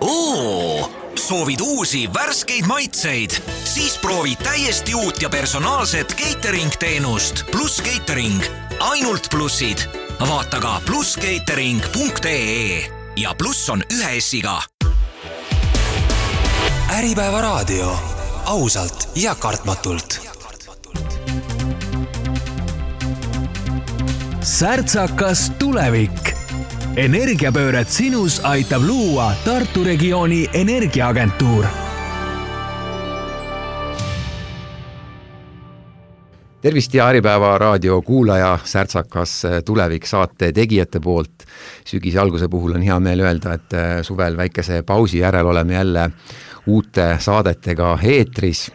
Soovid uusi värskeid maitseid? Siis proovi täiesti uut ja personaalset catering-teenust Plus Catering. Ainult plussid. Vaata ka pluscatering.ee ja pluss on 1 S-iga. Äripäeva raadio. Ausalt ja kartmatult. Särtsakas tulevik. Energiapööret sinus aitab luua Tartu regiooni energiaagentuur. Tervist ja Äripäeva raadio kuulaja, Särtsakas tulevik saate tegijate poolt. Sügise alguse puhul on hea meel öelda, et suvel väikese pausi järel oleme jälle uute saadetega eetris.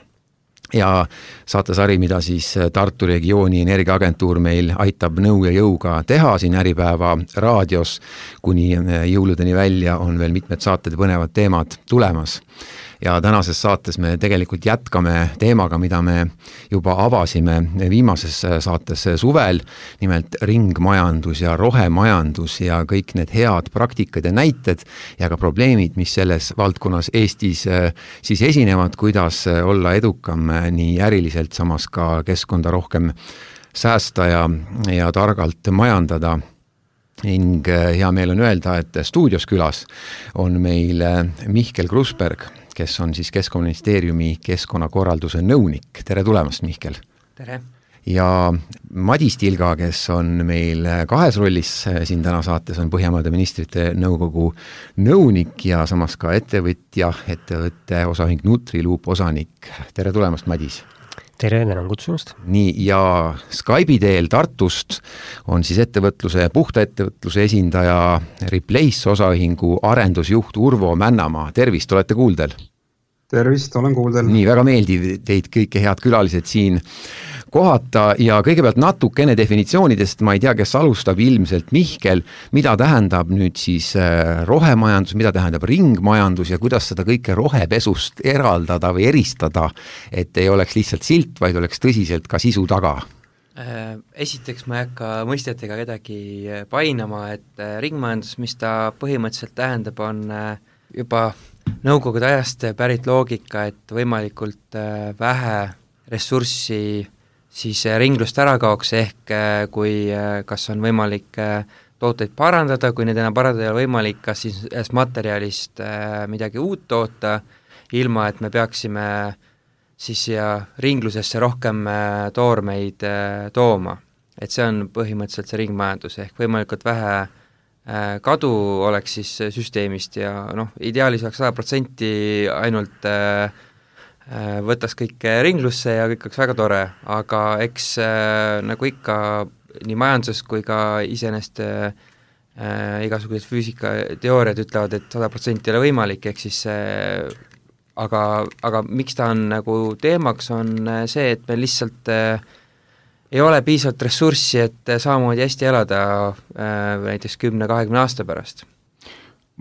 Ja saatesari, mida siis Tartu regiooni energiaagentuur meil aitab nõu ja jõuga teha siin Äripäeva raadios, kuni jõuludeni välja on veel mitmed saated põnevad teemad tulemas. Ja tänases saates me tegelikult jätkame teemaga, mida me juba avasime viimases saates suvel, nimelt ringmajandus ja rohemajandus ja kõik need head praktikad ja näited ja ka probleemid, mis selles valdkonnas Eestis siis esinevad, kuidas olla edukam nii äriliselt, samas ka keskkonda rohkem säästa ja targalt majandada. Ning hea meel on öelda, et stuudios külas on meil Mihkel Krusberg, kes on siis Keskkonnaministeeriumi keskkonnakorralduse nõunik. Tere tulemast, Mihkel! Tere! Ja Madis Tilga, kes on meil kahes rollis siin täna saates, on Põhjamaade ministrite nõukogu nõunik ja samas ka ettevõtte osaühing Nutriloop osanik. Tere tulemast, Madis! Tere, tänan kutsumast. Nii, ja Skype'i teel Tartust on siis puhta ettevõtluse esindaja Replace osaühingu arendusjuht Urvo Männamaa. Tervist, olete kuuldel? Tervist, olen kuuldel. Nii, väga meeldiv teid kõike head külalised siin kohata ja kõigepealt natukene definitsioonidest, ma ei tea, kes alustab ilmselt Mihkel, mida tähendab nüüd siis rohemajandus, mida tähendab ringmajandus ja kuidas seda kõike rohepesust eraldada või eristada, et ei oleks lihtsalt silt, vaid oleks tõsiselt ka sisu taga. Esiteks ma ei hakka mõistetega kedagi painama, et ringmajandus, mis ta põhimõtteliselt tähendab, on juba nõukogude ajast pärit loogika, et võimalikult vähe ressurssi siis ringlust ära kaoks, ehk kui kas on võimalik tooteid parandada, kui neid enam parandada ei ole võimalik, kas siis materjalist midagi uut toota, ilma et me peaksime siis ringlusesse rohkem toormeid tooma. Et see on põhimõtteliselt see ringmajandus, ehk võimalikult vähe kadu oleks siis süsteemist ja ideaalis oleks 100% ainult võtas kõik ringlusse ja kõik oleks väga tore, aga eks nagu ikka nii majanduses kui ka iseenesest igasugused füüsikateooriad ütlevad, et 100% ei ole võimalik, ehk siis aga miks ta on nagu teemaks, on see, et meil lihtsalt ei ole piisavalt ressurssi, et samamoodi hästi elada näiteks 10-20 aasta pärast.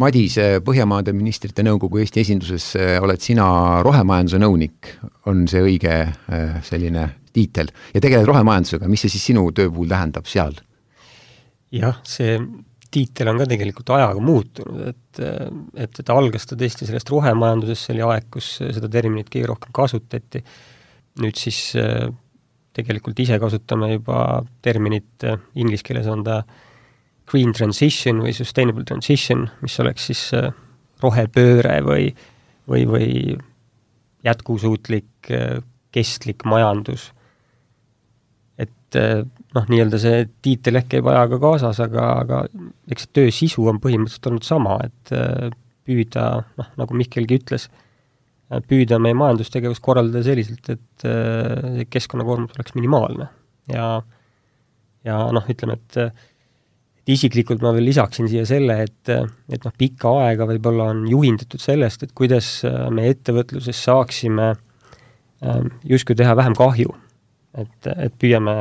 Madis, Põhjamaade ministrite nõukogu Eesti esinduses oled sina rohemajanduse nõunik, on see õige selline tiitel ja tegeled rohemajandusega, mis see siis sinu töö puhul tähendab seal? Jah, see tiitel on ka tegelikult ajaga muutunud, et ta algas ta tõesti sellest rohemajandusest, see oli aeg, kus seda terminit kõige rohkem kasutati. Nüüd siis tegelikult ise kasutame juba terminit, inglise keeles on ta green transition või sustainable transition, mis oleks siis rohepööre või jätkusuutlik, kestlik majandus. Et nii-öelda see tiitel ehk käib ajaga kaasas, aga eks töö sisu on põhimõtteliselt olnud sama, et püüda, nagu Mihkelgi ütles, püüda meie majandustegevust korraldada selliselt, et keskkonnakoormus oleks minimaalne. Ja ütleme, et isiklikult ma veel lisaksin siia selle, et pikka aega võib-olla on juhindatud sellest, et kuidas me ettevõtluses saaksime justkui teha vähem kahju. Et püüame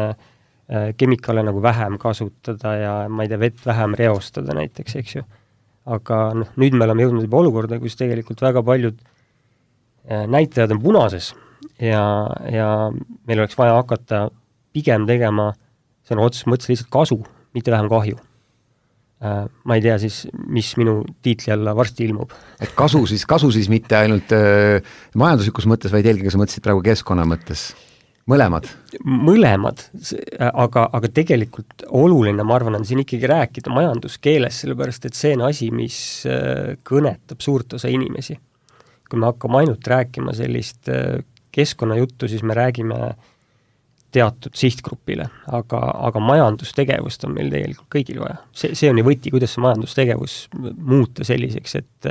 kemikaale nagu vähem kasutada ja ma ei tea, vett vähem reostada näiteks, eks ju. Aga nüüd me oleme jõudnud juba olukorda, kus tegelikult väga paljud näitajad on punases ja meil oleks vaja hakata pigem tegema, see on otseses mõttes lihtsalt kasu, mitte vähem kahju. ma ei tea siis, mis minu tiitli alla varsti ilmub. Et kasu siis mitte ainult majanduslikus mõttes, vaid eelkõige sa mõtlesid praegu keskkonna mõttes? Mõlemad, aga tegelikult oluline, ma arvan, on siin ikkagi rääkida majanduskeeles, sellepärast et see on asi, mis kõnetab suurt osa inimesi. Kui me hakkame ainult rääkima sellist keskkonnajuttu, siis me räägime teatud sihtgrupile, aga majandustegevust on meil tegelikult kõigil vaja. See on ju võti, kuidas see majandustegevus muuta selliseks, et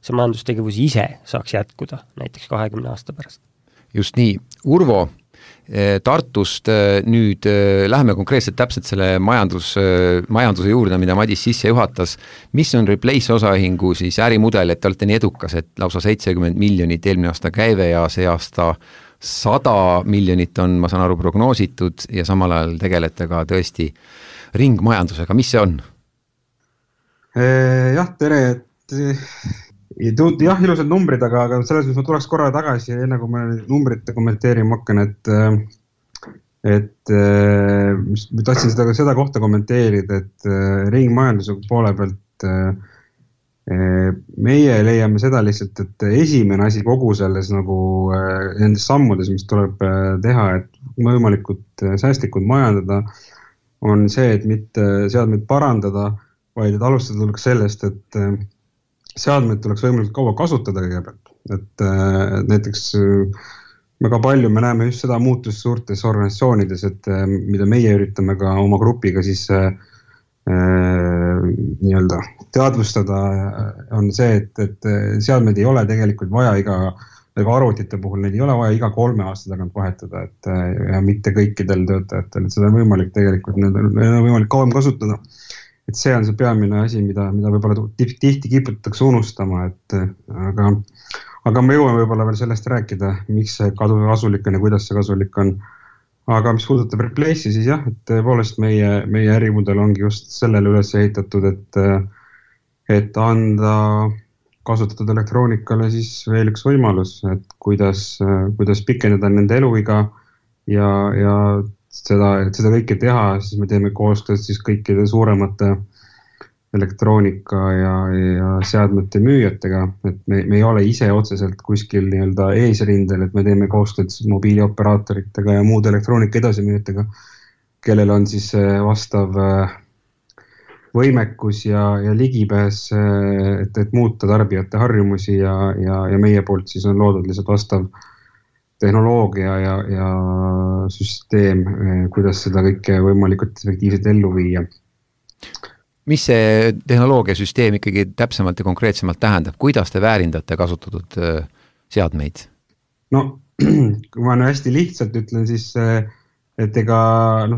see majandustegevus ise saaks jätkuda näiteks 20 aasta pärast. Just nii. Urvo, Tartust nüüd läheme konkreetselt täpselt selle majanduse juurde, mida Madis sisse juhatas. Mis on Replace osaühingu siis ärimudel, et te olete nii edukas, et lausa 70 miljonit eelmine aasta käive ja see aasta 100 miljonit on, ma saan aru, prognoositud ja samal ajal tegelete ka tõesti ringmajandusega. Mis see on? Jah, tere, jah, ilusad numbrid, aga selles mõttes ma tuleks korra tagasi, enne kui ma numbrite kommenteerima hakkan, et tahtsin seda kohta kommenteerida, et ringmajanduse poole pealt meie leiame seda lihtsalt, et esimene asi kogu selles nagu nendes sammudes, mis tuleb teha, et võimalikult säästlikult majandada, on see, et mitte seadmeid parandada, vaid et alustada tuleks sellest, et seadmeid tuleks võimalikult kaua kasutada kõigepealt. Et näiteks väga palju me näeme just seda muutust suurtes organisatsioonides, et mida meie üritame ka oma grupiga siis nii-öelda teadvustada, on see, et seadmeid ei ole tegelikult vaja ega arvutite puhul, neid ei ole vaja iga 3 aasta tagant vahetada, et ja mitte kõikidel töötajatel, et seda on võimalik tegelikult, need on võimalik kauem kasutada. Et see on see peamine asi, mida võib-olla tihti kiputatakse unustama, aga me jõuame võib-olla veel sellest rääkida, miks see kasulik on ja kuidas see kasulik on. Aga mis puudutab Replace'i, siis jah, et tõepoolest meie ärimudel ongi just sellele üles ehitatud, et anda kasutatud elektroonikale siis veel üks võimalus, et kuidas pikendada nende eluiga ja seda kõike teha, siis me teeme koostööd siis kõikide suuremate elektroonika ja seadmete müüjatega, et me ei ole ise otseselt kuskil nii-öelda eesrindel, et me teeme koostööd mobiilioperaatoritega ja muude elektroonika edasimüüjatega, kellel on siis vastav võimekus ja ligipääs, et muuta tarbijate harjumusi ja meie poolt siis on loodud lihtsalt vastav tehnoloogia ja süsteem, kuidas seda kõike võimalikult efektiivselt ellu viia. Mis see tehnoloogiasüsteem ikkagi täpsemalt ja konkreetsemalt tähendab? Kuidas te väärindate kasutatud seadmeid? No, kui ma hästi lihtsalt ütlen, siis et ega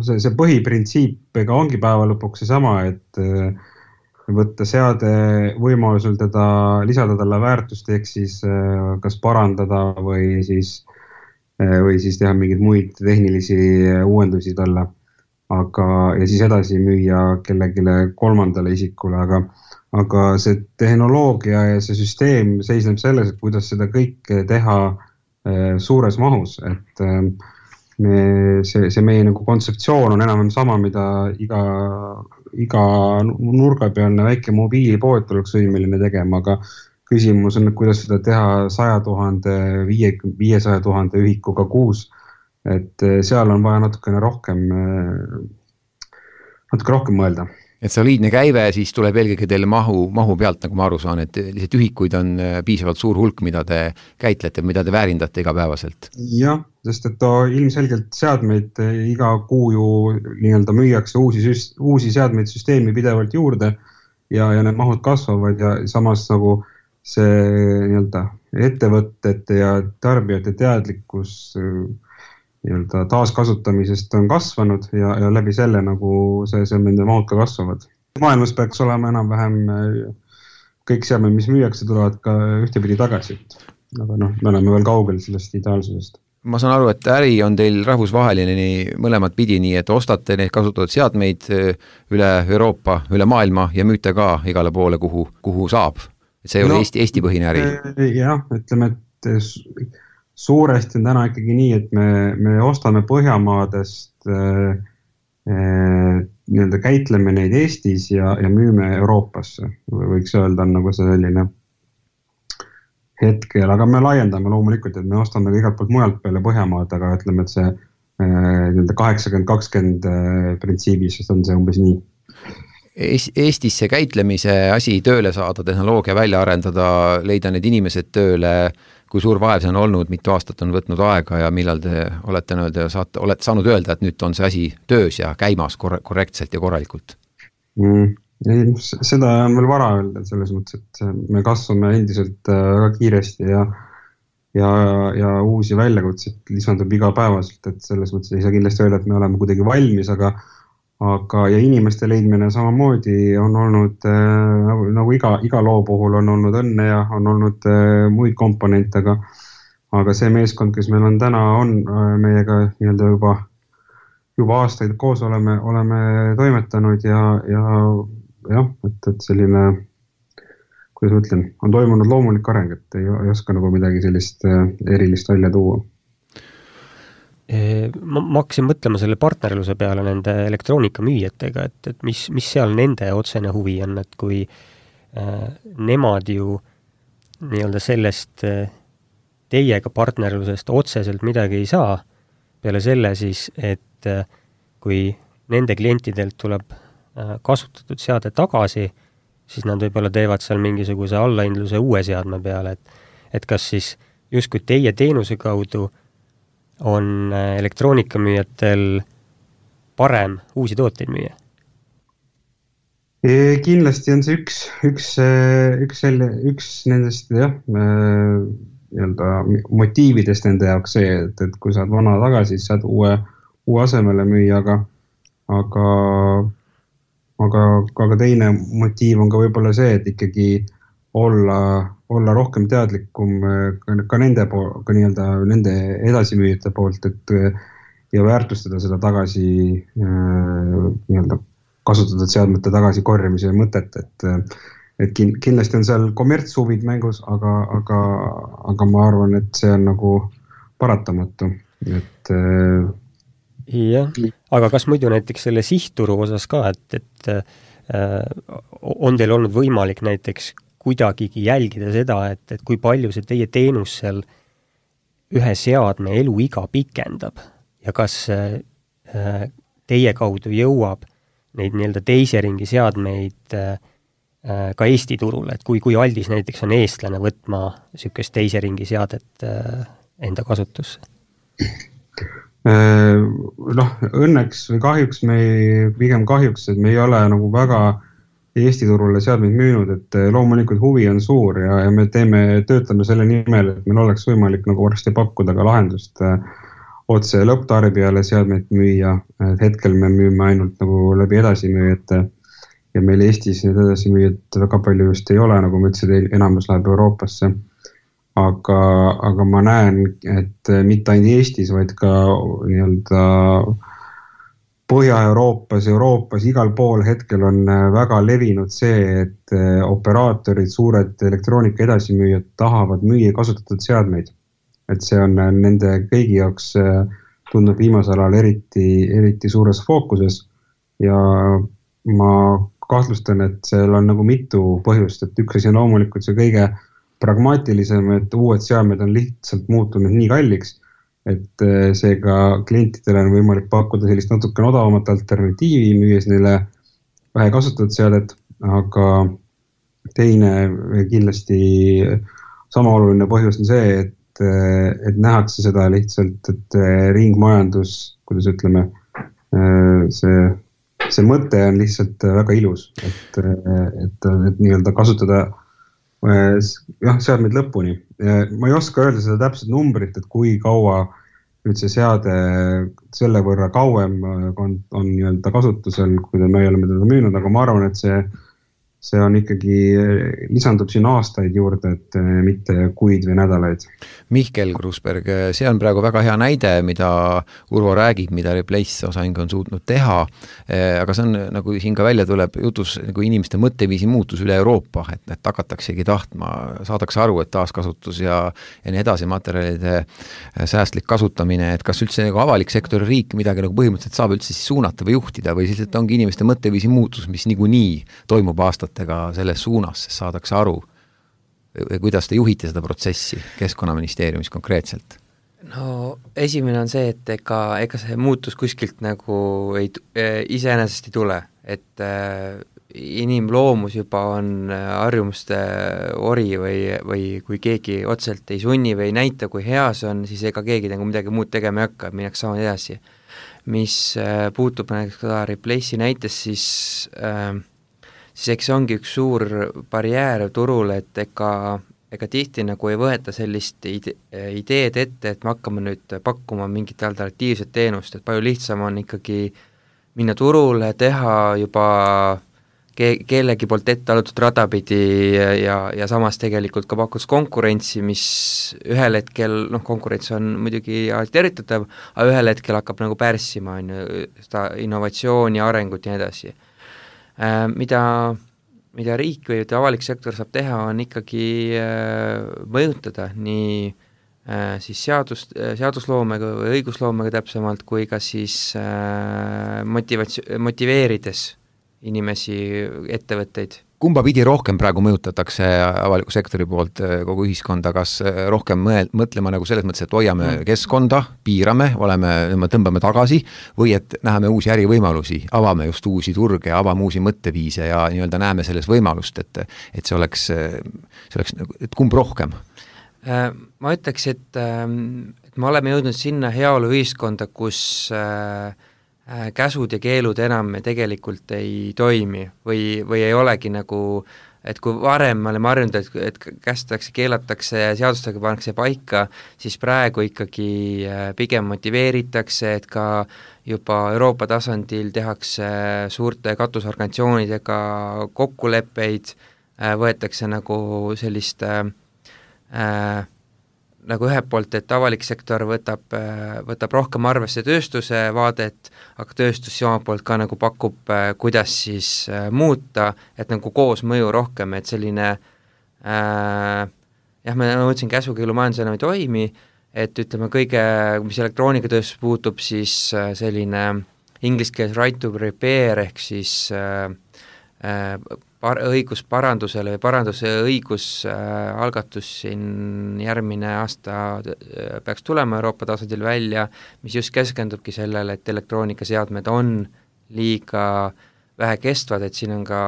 see põhiprintsiip ega ongi päeva lõpuks see sama, et võtta seade võimalusel lisada talle väärtust, ehk siis kas parandada või siis teha mingeid muid tehnilisi uuendusi talle. Ja siis edasi müüa kellegile kolmandale isikule, aga see tehnoloogia ja see süsteem seisneb selles, et kuidas seda kõike teha suures mahus, et see meie nagu kontseptsioon on enam sama, mida iga nurga pealne väike mobiilipood oleks võimeline tegema, aga küsimus on, et kuidas seda teha 100 000, 500 000 ühikuga kuus. Et seal on vaja natukene rohkem mõelda. Et soliidne käive siis tuleb eelkõige teile mahu pealt, nagu ma aru saan, et lihtsalt ühikuid on piisavalt suur hulk, mida te käitlete, mida te väärindate igapäevaselt. Jah, sest et ilmselgelt seadmeid iga kuu ju nii-öelda müüakse uusi seadmeid süsteemi pidevalt juurde ja need mahud kasvavad ja samas nagu see nii-öelda ettevõtete ja tarbijate teadlikkus taaskasutamisest on kasvanud ja läbi selle nagu see nende mahud ka kasvavad. Maailmas peaks olema enam-vähem kõik seadmed, mis müüakse, tulevad ka ühtepidi tagasi. Aga me oleme veel kaugel sellest ideaalsusest. Ma saan aru, et äri on teil rahvusvaheline mõlemad pidi, nii et ostate neid kasutatud seadmeid üle Euroopa, üle maailma ja müüte ka igale poole, kuhu saab. Et see ei ole Eesti põhine äri. Jah, ütleme, et suuresti on täna ikkagi nii, et me ostame Põhjamaadest nii-öelda käitleme neid Eestis ja müüme Euroopasse. Võiks öelda on nagu see selline hetkel, aga me laiendame loomulikult, et me ostame ka igalt poolt mujalt peale Põhjamaad, aga ütleme, et see 80-20 printsiibis on see umbes nii. Eestis see käitlemise asi tööle saada, tehnoloogia välja arendada, leida need inimesed tööle, kui suur vaev see on olnud, mitu aastat on võtnud aega ja millal te olete saanud öelda, et nüüd on see asi töös ja käimas korrektselt ja korralikult? Seda on veel vara öelda selles mõttes, et me kasvame endiselt väga kiiresti ja uusi väljakutseid lisandub igapäevaselt, et selles mõttes ei saa kindlasti öelda, et me oleme kuidagi valmis, aga ja inimeste leidmine samamoodi on olnud, nagu iga loo puhul on olnud õnne ja on olnud muid komponente, aga see meeskond, kes meil on täna, on meiega nii-öelda juba aastaid koos oleme toimetanud ja et selline, kuidas ma ütlen, on toimunud loomulik areng, et ei oska nagu midagi sellist erilist välja tuua. Ma hakkasin mõtlema selle partnerluse peale nende elektroonikamüüjatega, et mis seal nende otsene huvi on, et kui nemad ju nii-öelda sellest teiega partnerlusest otseselt midagi ei saa, peale selle siis, et kui nende klientidelt tuleb kasutatud seade tagasi, siis nad võib-olla teevad seal mingisuguse allahindluse uue seadme peale, et kas siis justkui teie teenuse kaudu on elektroonikamüüjatel parem uusi tooteid müüa? Kindlasti on see üks nendest nii-öelda motiividest nende jaoks see, et kui saad vana tagasi, siis saad uue asemele müüa, aga teine motiiv on ka võib-olla see, et ikkagi olla rohkem teadlikum ka nende edasimüüjate poolt, ja väärtustada seda tagasi nii-öelda kasutatud seadmete tagasi korjamise mõtet, et kindlasti on seal kommertshuvid mängus, aga ma arvan, et see on nagu paratamatu, et jah, aga kas muidu näiteks selle sihtturu osas ka, et on teil olnud võimalik näiteks kuidagigi jälgida seda, et kui palju see teie teenus seal ühe seadme eluiga pikendab ja kas teie kaudu jõuab neid nii-öelda teise ringi seadmeid ka Eesti turule, et kui aldis näiteks on eestlane võtma niisugust teise ringi seadet enda kasutusse? Õnneks või kahjuks pigem kahjuks, et me ei ole nagu väga Eesti turule seadmeid müünud, et loomulikult huvi on suur ja me töötame selle nimel, et meil oleks võimalik nagu varsti pakkuda ka lahendust otse lõpptarbijale seadmeid müüa. Hetkel me müüme ainult nagu läbi edasimüüjate ja meil Eestis need edasimüüjad väga palju just ei ole, nagu ma ütlesin, enamus läheb Euroopasse. Aga ma näen, et mitte ainult Eestis, vaid ka nii-öelda Põhja-Euroopas, igal pool hetkel on väga levinud see, et operaatorid, suured elektroonika edasimüüjad tahavad müüa kasutatud seadmeid. Et see on nende kõigi jaoks tundnud viimasel ajal eriti suures fookuses ja ma kahtlustan, et seal on nagu mitu põhjust, et üks asi on loomulikult see kõige pragmaatilisem, et uued seadmed on lihtsalt muutunud nii kalliks, et seega klientidele on võimalik pakkuda sellist natuke odavamat alternatiivi, müües neile vähe kasutatud seadet, aga teine kindlasti sama oluline põhjus on see, et nähakse seda lihtsalt, et ringmajandus, kuidas ütleme, see mõte on lihtsalt väga ilus, et nii-öelda kasutada seadmeid lõpuni. Ma ei oska öelda seda täpset numbrit, et kui kaua nüüd see seade selle võrra kauem on nii-öelda kasutusel, kui me oleme teda müünud, aga ma arvan, et see on ikkagi, lisandub siin aastaid juurde, et mitte kuid või nädalaid. Mihkel Krusberg, see on praegu väga hea näide, mida Urvo räägib, mida Replace osahing on suutnud teha, aga see on, nagu siin ka välja tuleb jutus, nagu inimeste mõtteviisi muutus üle Euroopa, et hakataksegi tahtma, saadakse aru, et taaskasutus ja nii edasi materjalide säästlik kasutamine, et kas üldse nagu avalik sektori riik midagi nagu põhimõtteliselt saab üldse siis suunata või juhtida või siis, et ongi inimeste mõtteviisi muutus, mis niikuinii toimub aastatega selles suunas, sest saadakse aru, kuidas te juhite seda protsessi Keskkonnaministeeriumis konkreetselt? No esimene on see, et ega see muutus kuskilt nagu iseenesest ei tule, et inimloomus juba on harjumuste ori või kui keegi otseselt ei sunni või ei näita, kui hea see on, siis ega keegi nagu midagi muud tegema ei hakka, minnakse sama edasi. Mis puutub näiteks ka Replace'i näites, siis eks see ongi üks suur barjäär turul, et ega tihti nagu ei võeta sellist ideed ette, et me hakkame nüüd pakkuma mingit alternatiivset teenust, et palju lihtsam on ikkagi minna turule, teha juba kellegi poolt ette alutud radapidi ja samas tegelikult ka pakkus konkurentsi, mis ühel hetkel, konkurents on muidugi tervitatav, aga ühel hetkel hakkab nagu pärssima seda innovatsiooni, arengut ja nii edasi. Mida riik või avalik sektor saab teha, on ikkagi mõjutada nii siis seadusloomega või õigusloomega täpsemalt, kui ka siis motiveerides inimesi, ettevõtteid. Kumba pidi rohkem praegu mõjutatakse avaliku sektori poolt kogu ühiskonda, kas rohkem mõtlema nagu selles mõttes, et hoiame keskkonda, piirame, tõmbame tagasi või et näeme uusi ärivõimalusi, avame just uusi turge, avame uusi mõtteviise ja nii-öelda näeme selles võimalust, et see oleks et kumb rohkem? Ma ütleks, et me oleme jõudnud sinna heaolu ühiskonda, kus käsud ja keelud enam tegelikult ei toimi või ei olegi nagu, et kui varem me oleme harjunud, et kästakse, keelatakse ja seadustega pannakse paika, siis praegu ikkagi pigem motiveeritakse, et ka juba Euroopa tasandil tehakse suurte katusorganisatsioonidega kokkuleppeid, võetakse nagu sellist nagu ühelt poolt, et avalik sektor võtab rohkem arvesse tööstuse vaadet, aga tööstus oma poolt ka nagu pakub, kuidas siis muuta, et nagu koos mõju rohkem, et selline ma mõtlesin, käsukeelumajandus enam ei toimi, et ütleme kõige, mis elektroonikatööstus puutub, siis selline inglise keeles right to repair ehk siis õigus parandusele või paranduse õigusalgatus siin järgmine aasta peaks tulema Euroopa tasandil välja, mis just keskendubki sellele, et elektroonikaseadmed on liiga vähe kestvad, et siin on ka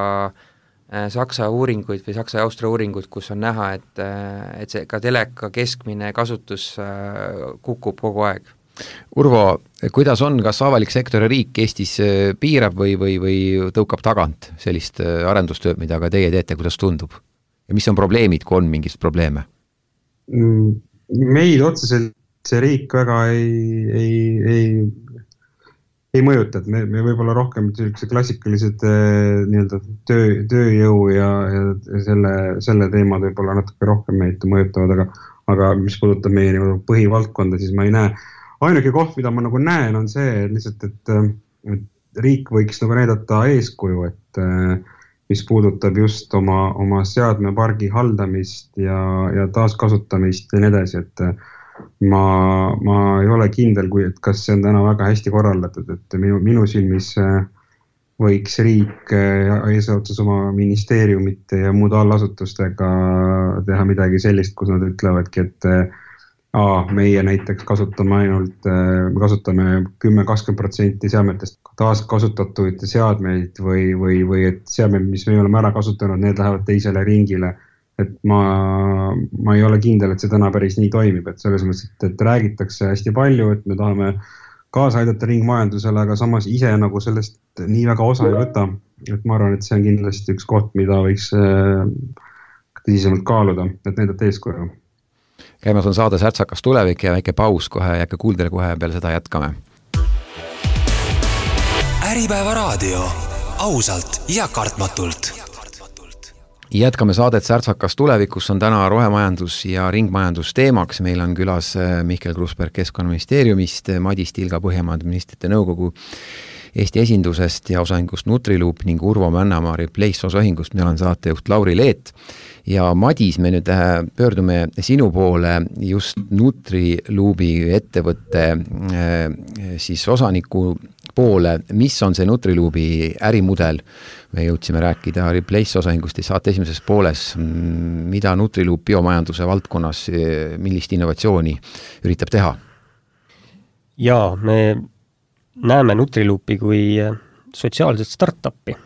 Saksa uuringuid või Saksa ja Austria uuringuid, kus on näha, et see ka teleka keskmine kasutus kukub kogu aeg. Urvo, kuidas on, kas avalik sektor ja riik Eestis piirab või tõukab tagant sellist arendustööd, mida ka teie teete, kuidas tundub? Ja mis on probleemid, kui on mingist probleeme? Meid otseselt see riik väga ei mõjuta, et me võib-olla rohkem klassikalised nii-öelda tööjõu ja selle teemad võib-olla natuke rohkem meid mõjutavad, aga mis puudutab meie põhivaldkonda, siis ma ei näe. Ainuke koht, mida ma nagu näen, on see lihtsalt, et riik võiks nagu näidata eeskuju, et mis puudutab just oma seadmepargi haldamist ja taaskasutamist ja nii edasi, et ma ei ole kindel, et kas see on täna väga hästi korraldatud, et minu silmis võiks riik eesotsas oma ministeeriumite ja muude allasutustega teha midagi sellist, kus nad ütlevadki, et meie näiteks kasutame 10-20% seadmetest taaskasutatud seadmeid või et seadmed, mis me oleme ära kasutanud, need lähevad teisele ringile. Et ma ei ole kindel, et see täna päris nii toimib, et selles mõttes, et räägitakse hästi palju, et me tahame kaasa aidata ringmajandusele, aga samas ise nagu sellest nii väga osa ei võta. Et ma arvan, et see on kindlasti üks koht, mida võiks tõsisemalt kaaluda, et näidata eeskuju. Käimas on saade Särtsakas tulevik ja väike paus kohe, jääke kuuldele kohe peale seda jätkame. Äripäeva raadio. Ausalt ja kartmatult. Jätkame saadet Särtsakas tulevikus, on täna rohemajandus ja ringmajandus teemaks. Meil on külas Mihkel Krusberg Keskkonnaministeeriumist, Madis Tilga Põhjamaade Ministrite Nõukogu Eesti esindusest ja osaühingust Nutriloop ning Urvo Männamaa Replace osaühingust. Mina olen saatejuht Lauri Leet. Ja Madis, me nüüd pöördume sinu poole just Nutriloopi ettevõtte siis osaniku poole. Mis on see Nutriloopi ärimudel? Me jõudsime rääkida Replace osaühingust ja saate esimeses pooles, mida Nutriloop biomajanduse valdkonnas, millist innovatsiooni üritab teha? Jaa, me näeme Nutriloopi kui sotsiaalset startupi.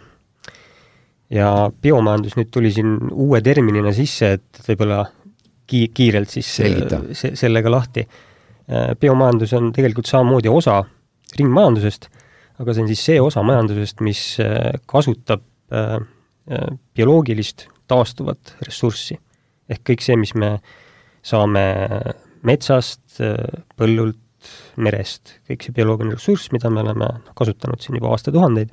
Ja biomajandus nüüd tuli siin uue terminina sisse, et võib-olla kiirelt siis sellega lahti. Biomajandus on tegelikult samamoodi osa ringmajandusest, aga see on siis see osa majandusest, mis kasutab bioloogilist taastuvat ressurssi. Ehk kõik see, mis me saame metsast, põllult, merest, kõik see bioloogiline ressurss, mida me oleme kasutanud siin juba aastatuhandeid.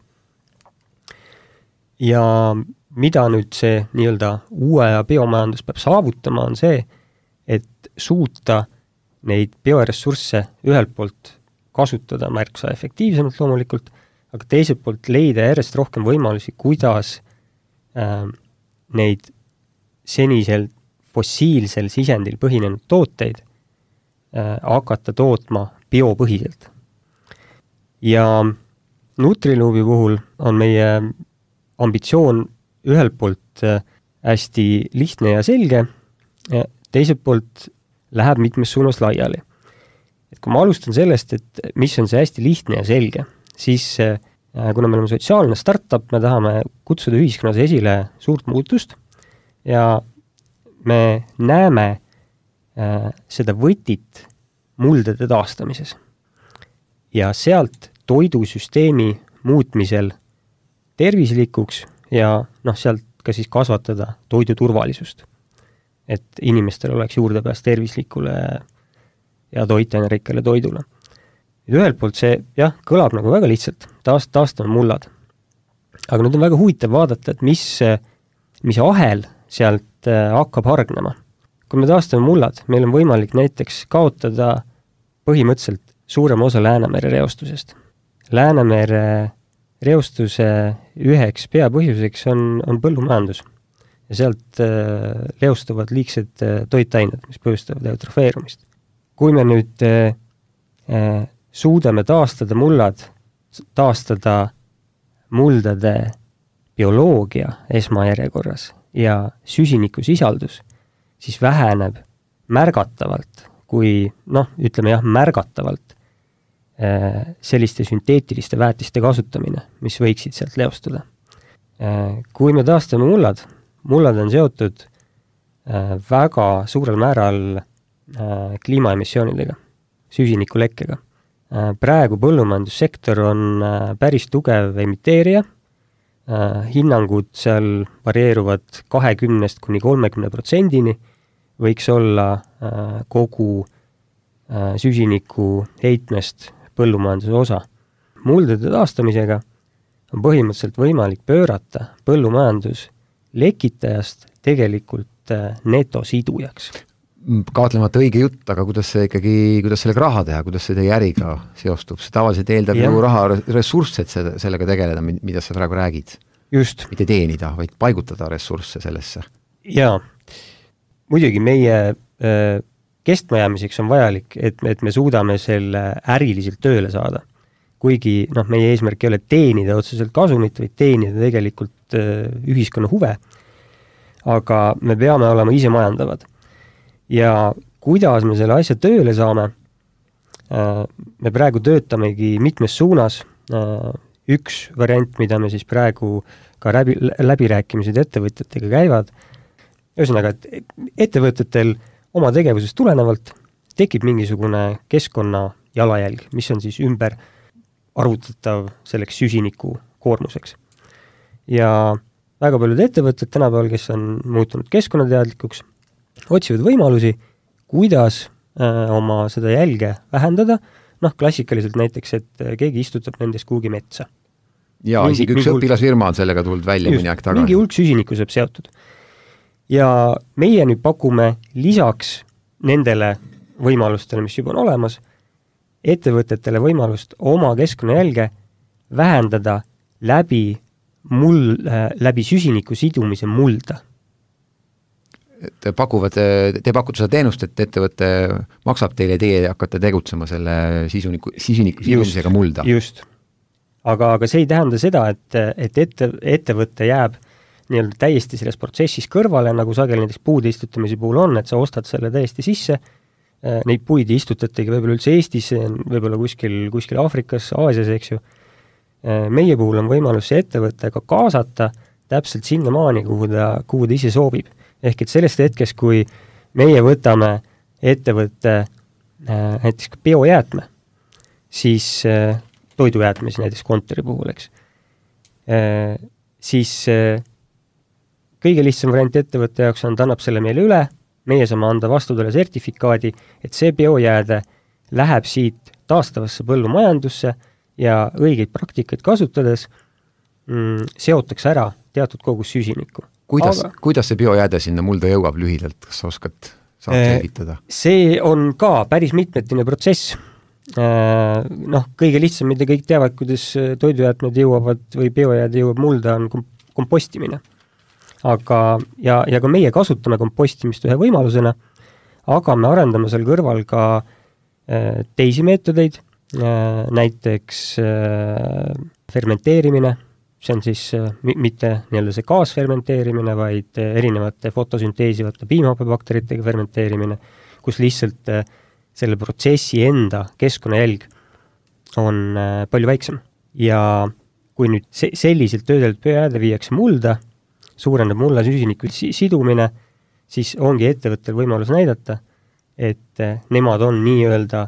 Ja mida nüüd see nii-öelda uue ja biomajandus peab saavutama, on see, et suuta neid bioressursse ühelt poolt kasutada märksa efektiivsemalt loomulikult, aga teiselt poolt leida järjest rohkem võimalusi, kuidas neid senisel fossiilsel sisendil põhinenud tooteid hakata tootma biopõhiselt. Ja Nutriloopi puhul on meie ambitsioon ühelt poolt hästi lihtne ja selge, teiselt poolt läheb mitmes suunas laiali. Et kui ma alustan sellest, et mis on see hästi lihtne ja selge, siis kuna me oleme sotsiaalne startup, me tahame kutsuda ühiskonnas esile suurt muutust ja me näeme seda võtit muldade taastamises. Ja sealt toidusüsteemi muutmisel tervislikuks ja sealt ka siis kasvatada toidu turvalisust. Et inimestel oleks juurdepääs tervislikule ja toitainerikkale toidule. Ühelt poolt see kõlab nagu väga lihtsalt, taastame mullad. Aga nüüd on väga huvitav vaadata, et mis ahel sealt hakkab hargnema. Kui me taastame mullad, meil on võimalik näiteks kaotada põhimõtteliselt suurem osa Läänemere reostusest. Läänemere reostuse üheks peapõhjuseks on põllumajandus ja sealt reostuvad liigsed toitained, mis põhjustavad eutrofeerumist. Kui me nüüd suudame taastada muldade bioloogia esmajärjekorras ja süsinikusisaldus, siis väheneb märgatavalt, märgatavalt selliste sünteetiliste väetiste kasutamine, mis võiksid sealt leostuda. Kui me taastame mullad on seotud väga suurel määral kliimaemissioonidega, süsinikulekkega. Praegu põllumajandussektor on päris tugev emiteerija, hinnangud seal varieeruvad 20–30%, võiks olla kogu süsiniku heitmest põllumajanduse osa. Muldade taastamisega on põhimõtteliselt võimalik pöörata põllumajandus lekitajast tegelikult netosidujaks. Kahtlemata õige jutt, aga kuidas sellega raha teha, kuidas see teie äriga seostub? See tavaliselt eeldab ju raha ressursse, et sellega tegeleda, mida sa praegu räägid. Just. Mitte teenida, vaid paigutada ressursse sellesse. Jaa, muidugi meie kestmajäämiseks on vajalik, et me suudame selle äriliselt tööle saada. Kuigi meie eesmärk ei ole teenida otseselt kasumit, vaid teenida tegelikult ühiskonna huve, aga me peame olema ise majandavad. Ja kuidas me selle asja tööle saame, me praegu töötamegi mitmes suunas. Üks variant, mida me siis praegu ka läbirääkimised ettevõtjatega käivad, ühesõnaga, et ettevõtjatel oma tegevusest tulenevalt tekib mingisugune keskkonna jalajälg, mis on siis ümber arvutatav selleks süsiniku koormuseks. Ja väga paljud ettevõtted tänapäeval, kes on muutunud keskkonnateadlikuks, otsivad võimalusi, kuidas oma seda jälge vähendada, klassikaliselt näiteks, et keegi istutab nendest kuhugi metsa. Jaa, isegi üks õpilasfirma on sellega tulnud välja mõni aeg tagasi. Mingi hulk süsiniku saab seotud. ja meie nüüd pakume lisaks nendele võimalustele, mis juba on olemas, ettevõtetele võimalust oma keskkonnajälge vähendada läbi süsiniku sidumise mulda. Te pakute seda teenust, et ettevõte maksab teile, teie hakkate tegutsema selle süsiniku sidumisega mulda. Just. Aga see ei tähenda seda, et ettevõte jääb nii-öelda täiesti selles protsessis kõrvale, nagu sageli näiteks puude istutamise puhul on, et sa ostad selle täiesti sisse, neid puid istutategi võib-olla üldse Eestis, võib-olla kuskil Aafrikas, Aasias, eks ju. Meie puhul on võimalus see ettevõte ka kaasata täpselt sinnamaani, kuhu ta ise soovib. Ehk et sellest hetkest, kui meie võtame ettevõtte näiteks biojäätme, siis toidujäätmes näiteks kontori puhul, eks, siis kõige lihtsam variant ettevõtte jaoks on, ta annab selle meile üle, meie saame anda vastutule sertifikaadi, et see biojääde läheb siit taastavasse põllumajandusse ja õigeid praktikaid kasutades seotakse ära teatud kogus süsinikku. Kuidas see biojääde sinna mulda jõuab lühidalt, kas saad selgitada? See on ka päris mitmetine protsess. Kõige lihtsam, mida kõik teavad, kuidas toidujäätmed jõuavad või biojääde jõuab mulda, on kompostimine. Ja ka meie kasutame kompostimist ühe võimalusena, aga me arendame seal kõrval ka teisi meetodeid, näiteks fermenteerimine, see on siis mitte nii-öelda see gaasfermenteerimine, vaid erinevate fotosünteesivate piimhappebakteritega fermenteerimine, kus lihtsalt selle protsessi enda keskkonnajälg on palju väiksem. Ja kui nüüd selliselt töödeldud biojääde viiakse mulda, suurendab mulla süsiniku sidumine, siis ongi ettevõttel võimalus näidata, et nemad on nii-öelda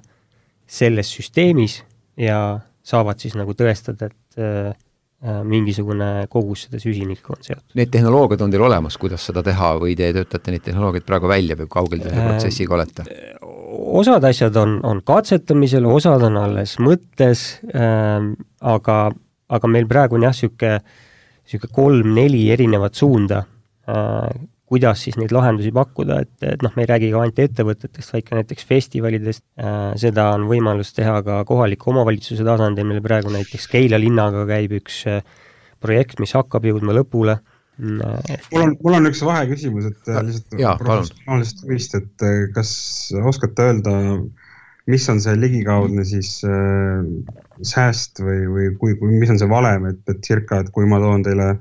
selles süsteemis ja saavad siis nagu tõestada, et mingisugune kogus seda süsinikku on seotud. Need tehnoloogiad on teil olemas, kuidas seda teha või te töötate neid tehnoloogiad praegu välja või kaugel te selle protsessiga olete? Osad asjad on katsetamisel, osad on alles mõttes, aga meil praegu on jah siuke 3-4 erinevat suunda, kuidas siis neid lahendusi pakkuda, et me ei räägi ka ainult ettevõtetest, vaid ka näiteks festivalidest, seda on võimalus teha ka kohaliku omavalitsuse tasandil, meil praegu näiteks Keila linnaga käib üks projekt, mis hakkab jõudma lõpule. Mul on üks vaheküsimus, et lihtsalt vist, et kas oskate öelda, mis on see ligikaudne siis sääst või mis on see valem, et circa, et kui ma toon teile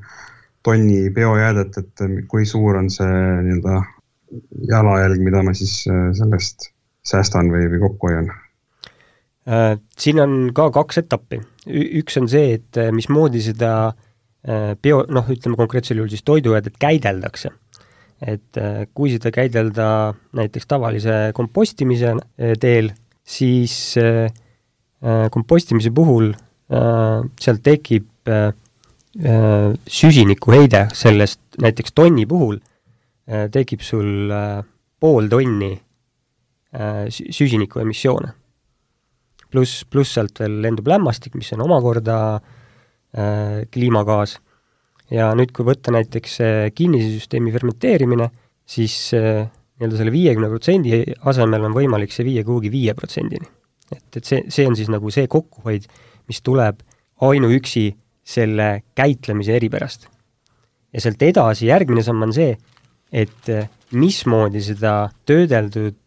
tonni biojäädet, et kui suur on see nii-öelda jalajälg, mida ma siis sellest säästan või kokku hoian? Siin on ka 2 etappi. Üks on see, et mismoodi seda ütleme konkreetsel juhul siis toidujäädet käideldakse. Et kui seda käidelda näiteks tavalise kompostimise teel, siis kompostimise puhul seal tekib süsinikuheide sellest näiteks tonni puhul tekib sul 0,5 tonni süsiniku emissioone. Pluss sealt veel lendub lämmastik, mis on omakorda kliimagaas. Ja nüüd, kui võtta näiteks kinnise süsteemi fermenteerimine, siis nii-öelda selle 50% asemel on võimalik see viia kuhugi 5%-ni. Et see on siis nagu see kokkuhoid, mis tuleb ainuüksi selle käitlemise eripärast. Ja sealt edasi järgmine samm on see, et mismoodi seda töödeldud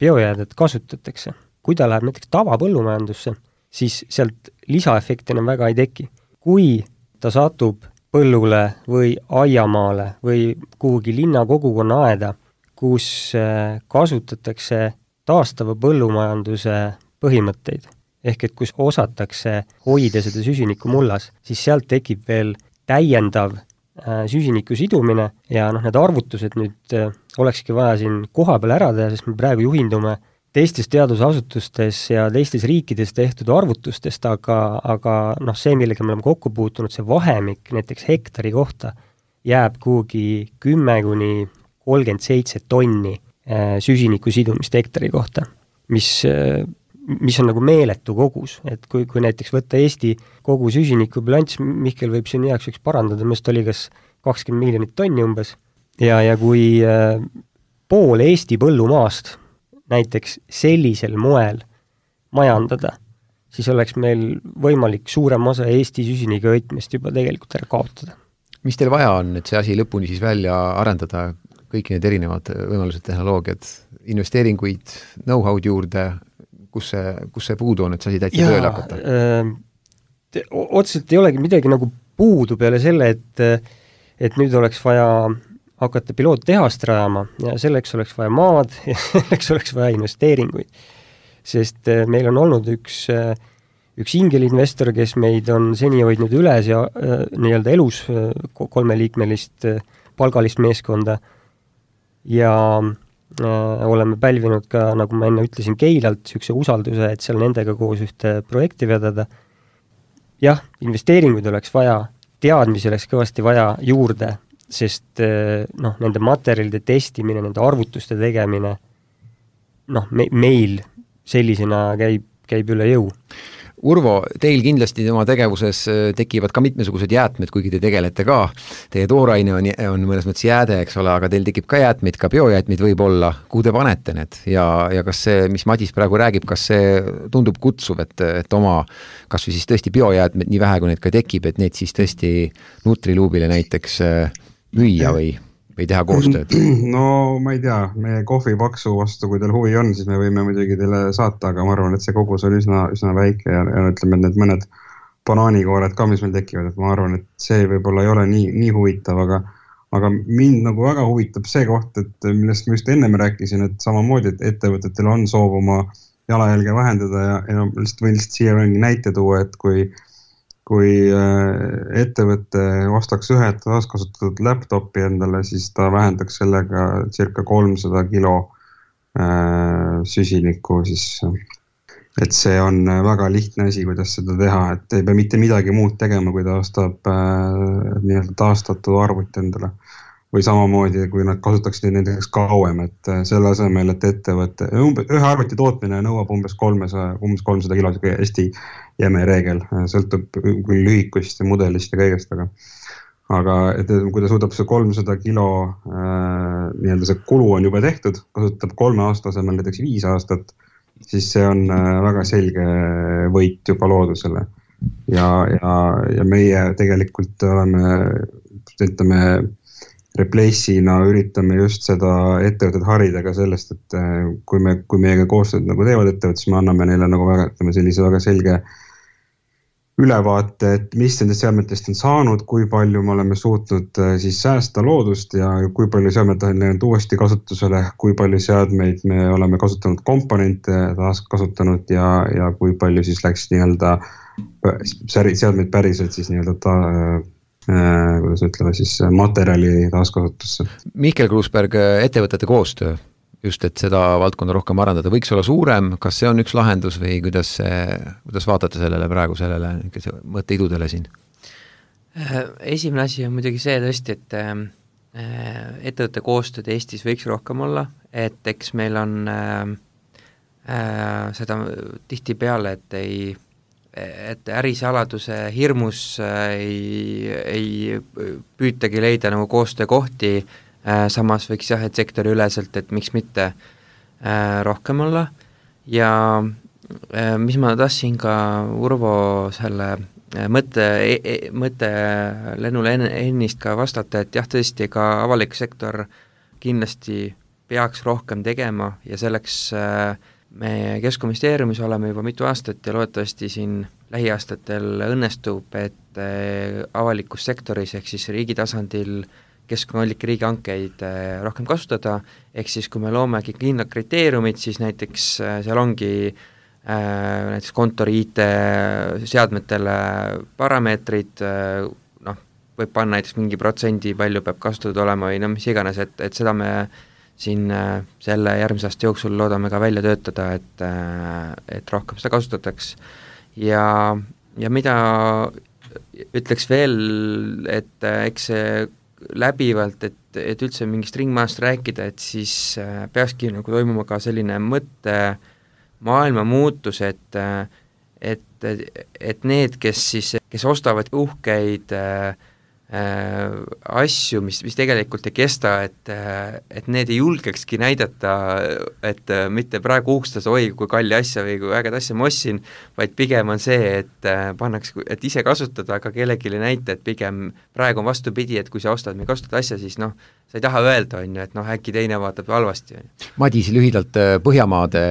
biojäädet kasutatakse. Kui ta läheb näiteks tavapõllumajandusse, siis sealt lisaefekti enam väga ei teki. Kui ta satub põllule või aiamaale või kuhugi linna kogukonna aeda, kus kasutatakse taastava põllumajanduse põhimõtteid, ehk et kus osatakse hoida seda süsiniku mullas, siis sealt tekib veel täiendav süsiniku sidumine ja need arvutused nüüd olekski vaja siin koha peal ära teha, sest me praegu juhindume teistes teadusasutustes ja teistes riikides tehtud arvutustest, aga see, millega me oleme kokku puutunud, see vahemik näiteks hektari kohta jääb kuhugi 10-37 tonni süsiniku sidumist hektari kohta, mis on nagu meeletu kogus, et kui näiteks võtta Eesti kogu süsiniku bilanss, Mihkel võib siin heaks üks parandada, millest oli kas 20 miljonit tonni umbes, ja kui pool Eesti põllumaast näiteks sellisel moel majandada, siis oleks meil võimalik suurem osa Eesti süsinikuheitmest juba tegelikult ära kaotada. Mis teil vaja on, et see asi lõpuni siis välja arendada, kõik need erinevad võimalused, tehnoloogiad, investeeringuid, know-how'd juurde, kus see puudu on, et see asi täitsa tööle hakata? Otseselt ei olegi midagi nagu puudu peale selle, et nüüd oleks vaja hakata piloottehast rajama ja selleks oleks vaja maad ja selleks oleks vaja investeeringuid. Sest meil on olnud üks ingelinvestor, kes meid on seni hoidnud üles ja nii-öelda elus 3-liikmelist palgalist meeskonda ja oleme pälvinud ka, nagu ma enne ütlesin, Keilalt niisuguse usalduse, et seal nendega koos ühte projekti vedada. Jah, investeeringuid oleks vaja, teadmisi oleks kõvasti vaja juurde, sest nende materjalide testimine, nende arvutuste tegemine, meil sellisena käib üle jõu. Urvo, teil kindlasti oma tegevuses tekivad ka mitmesugused jäätmed, kuigi te tegelete ka. Teie tooraine on mõnes mõttes jääde, eks ole, aga teil tekib ka jäätmeid, ka biojäätmeid võib olla. Kuhu te panete need? Ja kas see, mis Madis praegu räägib, kas see tundub kutsuv, et oma kas või siis tõesti biojäätmed, nii vähe kui need ka tekib, et need siis tõesti Nutriluubile näiteks müüa või teha koostööd? No ma ei tea, meie kohvipaksu vastu, kui teil huvi on, siis me võime muidugi teile saata, aga ma arvan, et see kogus on üsna väike ja ütleme, et need mõned banaanikoored ka, mis meil tekivad, et ma arvan, et see võib-olla ei ole nii huvitav, aga mind nagu väga huvitab see koht, et millest ma just ennem rääkisin, et samamoodi, et ettevõtetel on soov oma jalajälge vähendada ja võin siia näite tuua, et kui ettevõte ostaks ühe taaskasutatud laptopi endale, siis ta vähendaks sellega circa 300 kilo süsinikku. Et see on väga lihtne asi, kuidas seda teha, et ei pea mitte midagi muud tegema, kui ta ostab nii-öelda taastatud arvuti endale. Või samamoodi, kui nad kasutaksid nendeks kauem, et selle asemel, et ettevõte, ühe arvuti tootmine nõuab umbes 300 kilo, hästi jäme reegel, sõltub küll lühikust ja mudelist ja kõigest, aga kui ta suudab see 300 kilo, nii-öelda see kulu on juba tehtud, kasutab 3 aasta asemel näiteks 5 aastat, siis see on väga selge võit juba loodusele. Ja meie tegelikult oleme, Replace'ina üritame just seda ettevõtet harida ka sellest, et kui meiega koostööd nagu teevad ettevõtet, siis me anname neile nagu sellise väga selge ülevaate, et mis nendest seadmetest on saanud, kui palju me oleme suutnud siis säästa loodust ja kui palju seadmed on läinud uuesti kasutusele, kui palju seadmeid me oleme kasutanud komponente taas kasutanud ja kui palju siis läks nii-öelda seadmeid päriselt siis nii-öelda kuidas ütleme siis materjali taaskasutusse. Mihkel Kruusberg, ettevõtete koostöö, just et seda valdkonda rohkem arendada, võiks olla suurem, kas see on üks lahendus või kuidas vaatate sellele mõtteidudele siin? Esimene asi on muidugi see tõesti, et ettevõtte koostööd Eestis võiks rohkem olla, et eks meil on seda tihtipeale, et ärisaladuse hirmus ei püütagi leida nagu koostöökohti, samas võiks et sektori üleselt, et miks mitte rohkem olla ja mis ma tahtsin ka Urvo selle mõtte lennule ennist ka vastata, et jah, tõesti ka avalik sektor kindlasti peaks rohkem tegema ja selleks me Keskkonnaministeeriumis oleme juba mitu aastat ja loodetavasti siin lähiaastatel õnnestub, et avalikus sektoris ehk siis riigi tasandil keskkonnalike riigihankeid rohkem kasutada, ehk siis kui me loomegi kindlad kriteeriumid, siis näiteks seal ongi näiteks kontori IT-seadmetele parameetrid, võib panna näiteks mingi protsendi, palju peab kasutatud olema või mis iganes, et seda me siin selle järgmise aasta jooksul loodame ka välja töötada, et rohkem seda kasutataks. Ja mida ütleks veel, et eks see läbivalt, et üldse mingist ringmaast rääkida, et siis peakski nagu toimuma ka selline mõtte maailma muutus, et need, kes ostavad uhkeid asju, mis tegelikult ei kesta, et need ei julgekski näidata, et mitte praegu uhkustada, oi, kui kalli asja või kui ägeda asja ma ostsin, vaid pigem on see, et pannakse, et ise kasutada, aga kellelegi näita, et pigem praegu on vastupidi, et kui sa ostad mingi kasutatud asja, siis noh, sa ei taha öelda, on ju, et noh, äkki teine vaatab halvasti. Madis, lühidalt Põhjamaade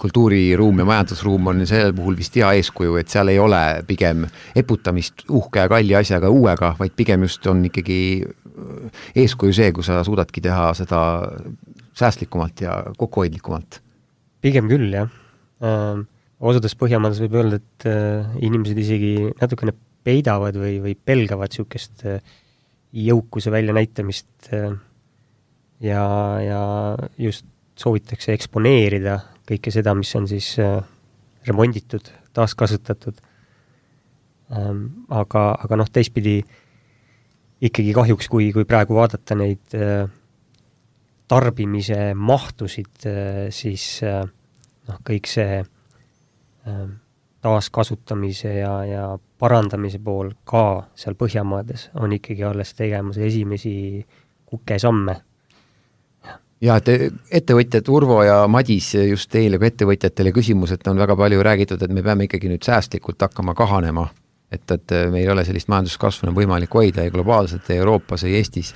kultuuriruum ja majandusruum on sellel puhul vist hea eeskuju, et seal ei ole pigem eputamist uhke ja kalli asjaga uuega, vaid pigem just on ikkagi eeskuju see, kui sa suudadki teha seda säästlikumalt ja kokkuhoidlikumalt. Pigem küll, jah. Osades Põhjamaades võib öelda, et inimesed isegi natukene peidavad või pelgavad niisugust jõukuse väljanäitamist ja just soovitakse eksponeerida kõike seda, mis on siis remonditud, taaskasutatud. Aga noh, teistpidi ikkagi kahjuks, kui praegu vaadata neid tarbimise mahtusid, siis kõik see taaskasutamise ja parandamise pool ka seal Põhjamaades on ikkagi alles tegemas esimesi kukesamme. Ja, et ettevõtjad Urvo ja Madis, just teile kui ettevõtjatele küsimus, et on väga palju räägitud, et me peame ikkagi nüüd säästlikult hakkama kahanema, et meil ei ole sellist majanduskasvu võimalik hoida ei globaalselt, ei Euroopas, ei Eestis.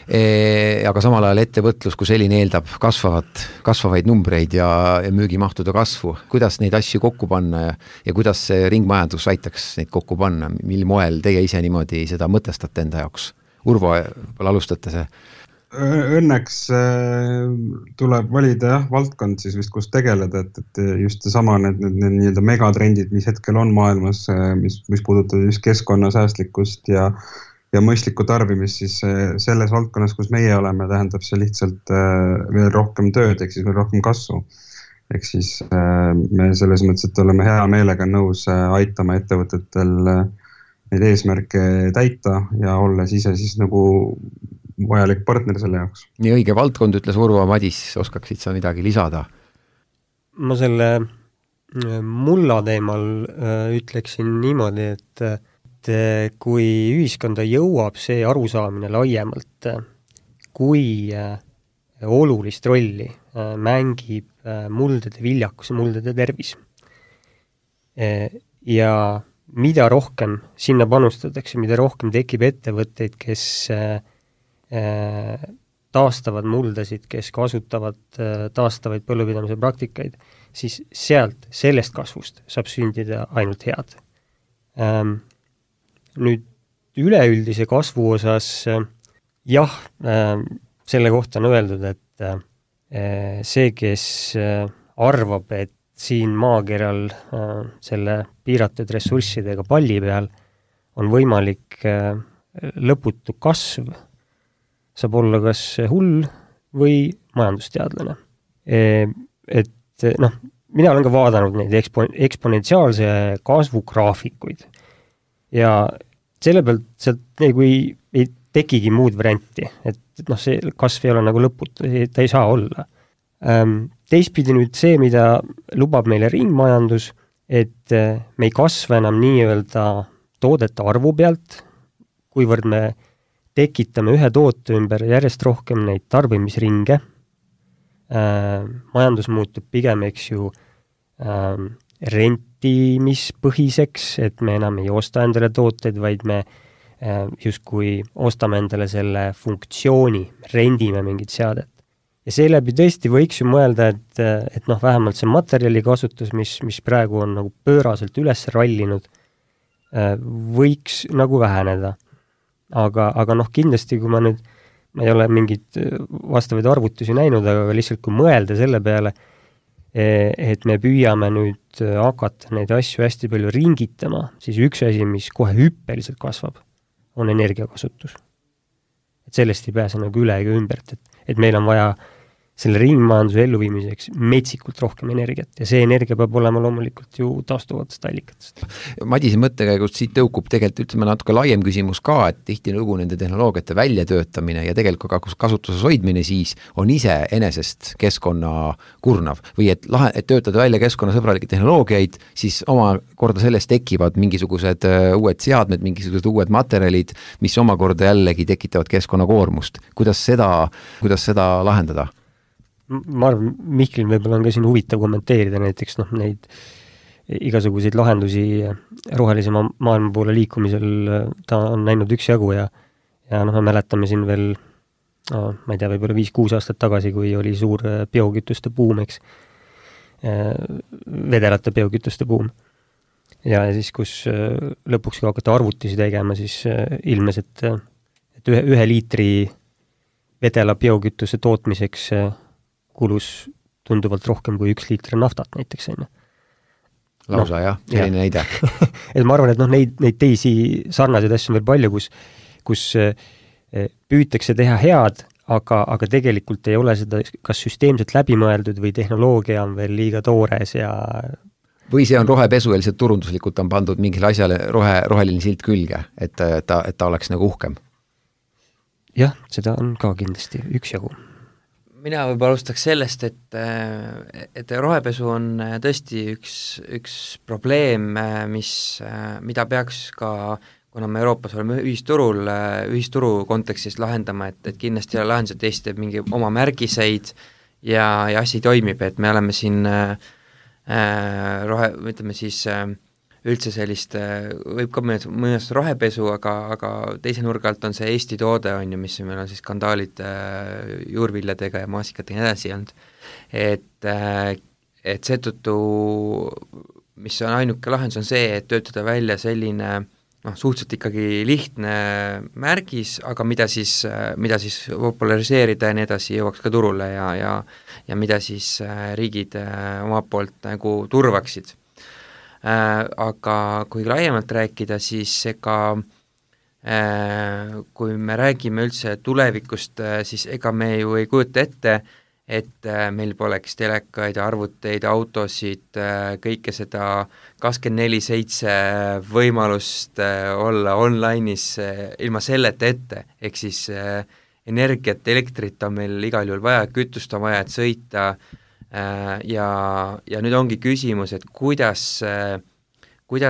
Aga samal ajal ettevõtlus, kui selline eeldab kasvavaid numbreid ja müügimahtude kasvu. Kuidas neid asju kokku panna ja kuidas see ringmajandus aitaks neid kokku panna? Mil moel teie ise niimoodi seda mõtestate enda jaoks? Urvo, alustate see? Õnneks tuleb valida valdkond siis vist, kus tegeleda, et just sama need nii-öelda megatrendid, mis hetkel on maailmas, mis puudutab just keskkonnasäästlikkust ja mõistlikku tarbimist, siis selles valdkonnas, kus meie oleme, tähendab see lihtsalt veel rohkem tööd, ehk siis veel rohkem kasvu. Ehk siis me selles mõttes, et oleme hea meelega nõus aitama ettevõtetel neid eesmärke täita ja olles ise siis nagu vajalik partner selle jaoks. Nii õige valdkond, ütles Urvo. Madis, oskaksid sa midagi lisada? Ma selle mulla teemal ütleksin niimoodi, et kui ühiskonda jõuab see arusaamine laiemalt, kui olulist rolli mängib muldade viljakus ja muldade tervis. Ja mida rohkem sinna panustatakse, mida rohkem tekib ettevõtteid, kes taastavad muldasid, kes kasutavad taastavaid põllupidamise praktikaid, siis sellest kasvust saab sündida ainult head. Nüüd üleüldise kasvu osas selle kohta on öeldud, et see, kes arvab, et siin maakeral selle piiratud ressurssidega palli peal on võimalik lõputu kasv, saab olla kas hull või majandusteadlane. Et mina olen ka vaadanud neid eksponentsiaalse kasvu graafikuid ja selle pealt sealt nagu ei tekigi muud varianti, et see kasv ei ole nagu lõputu, ta ei saa olla. Teistpidi nüüd see, mida lubab meile ringmajandus, et me ei kasva enam nii-öelda toodete arvu pealt, kuivõrd me tekitame ühe toote ümber järjest rohkem neid tarbimisringe. Majandus muutub pigem, eks ju, rentimispõhiseks, et me enam ei osta endale tooteid, vaid me justkui ostame endale selle funktsiooni, rendime mingit seadet. Ja seeläbi tõesti võiks ju mõelda, et vähemalt see materjali kasutus, mis praegu on nagu pööraselt üles rallinud, võiks nagu väheneda. Aga kindlasti, kui ma ei ole mingit vastavaid arvutusi näinud, aga lihtsalt kui mõelda selle peale, et me püüame nüüd hakata neid asju hästi palju ringitama, siis üks asi, mis kohe hüppeliselt kasvab, on energiakasutus. Et sellest ei pääse nagu üle ega ümbert, et meil on vaja selle ringmajanduse elluviimiseks metsikult rohkem energiat ja see energia peab olema loomulikult ju taastuvatest allikatest. Madise mõttekäigust siit tõukub tegelikult ütleme natuke laiem küsimus ka, et tihtilugu nende tehnoloogiate väljatöötamine ja tegelikult ka kasutuses hoidmine siis on ise enesest keskkonna kurnav või et töötada välja keskkonnasõbralikke tehnoloogiaid, siis omakorda sellest tekivad mingisugused uued seadmed, mingisugused uued materjalid, mis omakorda jällegi tekitavad keskkonnakoormust. Kuidas seda lahendada? Ma arvan, Mihklil võib-olla on ka siin huvitav kommenteerida näiteks neid igasuguseid lahendusi rohelisema maailma poole liikumisel ta on näinud üksjagu ja me mäletame siin veel, ma ei tea, võib-olla 5-6 aastat tagasi, kui oli suur biokütuste buum, eks, vedelate biokütuste buum. Ja siis, kus lõpuks kui hakata arvutusi tegema, siis ilmes, et ühe liitri vedela biokütuse tootmiseks kulus tunduvalt rohkem kui 1 liitri naftat näiteks. Lausa jah, selline näide. Et ma arvan, et neid teisi sarnaseid asju on veel palju, kus püütakse teha head, aga tegelikult ei ole seda kas süsteemselt läbimõeldud või tehnoloogia on veel liiga toores ja või see on rohepesu ja lihtsalt turunduslikult on pandud mingile asjale roheline silt külge, et ta oleks nagu uhkem. Jah, seda on ka kindlasti üksjagu. Mina võib alustaks sellest, et rohepesu on tõesti üks probleem, mida peaks ka, kuna me Euroopas oleme ühisturu kontekstis lahendama, et kindlasti lahendused Eesti teeb mingi oma märgiseid ja asi toimib, et me oleme siin ütleme siis üldse sellist, võib ka mõnest rohepesu, aga teise nurga alt on see Eesti toode, on ju, mis meil on siis skandaalid juurviljadega ja maasikatega edasi olnud. Et seetõttu, mis on ainuke lahendus, on see, et töötada välja selline suhteliselt ikkagi lihtne märgis, aga mida siis populariseerida ja nii edasi jõuaks ka turule ja mida siis riigid oma poolt nagu turvaksid. Aga kui laiemalt rääkida, siis kui me räägime üldse tulevikust, siis ega me ju ei kujuta ette, et meil poleks telekaid, arvuteid, autosid, kõike seda 24/7 võimalust olla online'is ilma selleta ette, ehk siis energiat, elektrit on meil igal juhul vaja, kütust on vaja, et sõita, ja nüüd ongi küsimus, et kuidas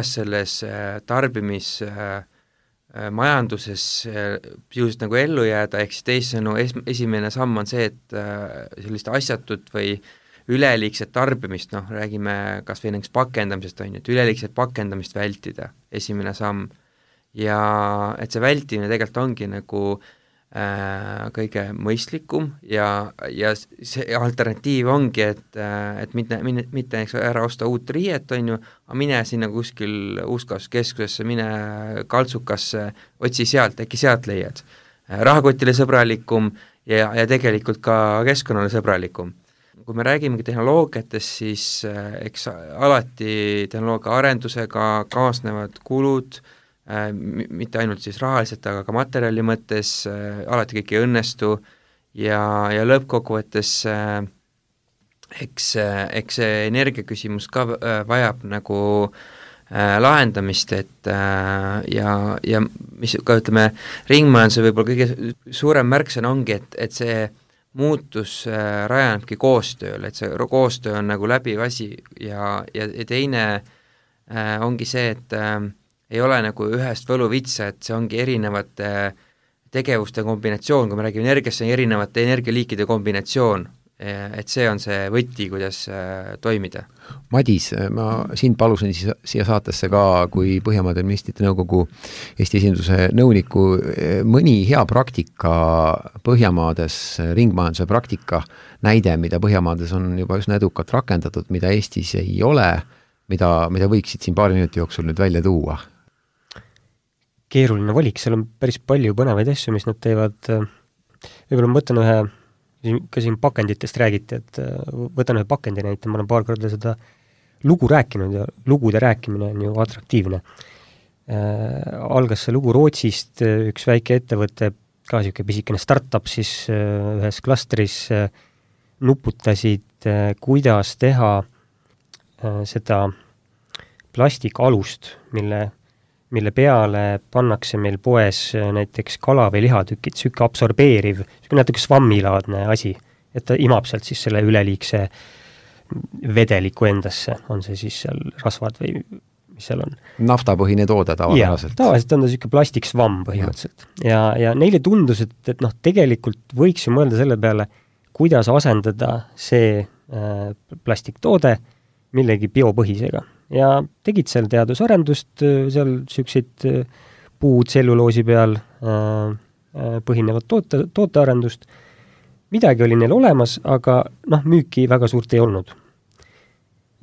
selles tarbimismajanduses just nagu ellu jääda, ehk siis teisisõnu esimene samm on see, et sellist asjatut või üleliigset tarbimist, räägime kas või näiteks pakendamisest, on ju, et üleliigset pakendamist vältida, esimene samm, ja et see vältimine tegelikult ongi nagu kõige mõistlikum ja see alternatiiv ongi, et mitte ära osta uut riiet, on ju, aga mine sinna kuskil uuskasutuskeskusesse, mine kaltsukasse, otsi sealt, äkki sealt leiad. Rahakotile sõbralikum ja tegelikult ka keskkonnale sõbralikum. Kui me räägimegi tehnoloogiatest, siis eks alati tehnoloogia arendusega kaasnevad kulud, mitte ainult siis rahaliselt, aga ka materjali mõttes, alati kõik ei õnnestu ja lõppkokkuvõttes eks see energiaküsimus ka vajab nagu lahendamist, et ja mis ka ütleme, ringmajanduse võib-olla kõige suurem märksõna ongi, et see muutus rajanebki koostööl, et see koostöö on nagu läbiv asi ja teine ongi see, et ei ole nagu ühest võluvitsa, et see ongi erinevate tegevuste kombinatsioon, kui me räägime energiast, see on erinevate energialiikide kombinatsioon, et see on see võti, kuidas toimida. Madis, ma sind palusin siia saatesse ka kui Põhjamaade Ministrite Nõukogu Eesti esinduse nõuniku, mõni hea praktika Põhjamaades, ringmajanduse praktika näide, mida Põhjamaades on juba üsna edukalt rakendatud, mida Eestis ei ole, mida võiksid siin paari minuti jooksul nüüd välja tuua? Keeruline valik, seal on päris palju põnevaid asju, mis nad teevad. Võib-olla ma võtan ka siin pakenditest räägiti, et võtan ühe pakendi näite, ma olen paar korda seda lugu rääkinud ja lugude rääkimine on ju atraktiivne. Algas see lugu Rootsist, üks väike ettevõte, ka siuke pisikene startup siis ühes klastris nuputasid, kuidas teha seda plastikalust, mille peale pannakse meil poes näiteks kala- või lihatükid, siuke absorbeeriv, siuke natuke svammilaadne asi, et ta imab sealt siis selle üleliigse vedeliku endasse, on see siis seal rasvad või mis seal on. Naftapõhine toode tavapäraselt. Tavaliselt on ta siuke plastiksvamm põhimõtteliselt. Ja neile tundus, et tegelikult võiks ju mõelda selle peale, kuidas asendada see plastiktoode millegi biopõhisega. Ja tegid seal teadusarendust, seal siukseid puutselluloosi peal põhinevat tootearendust. Midagi oli neil olemas, aga müüki väga suurt ei olnud.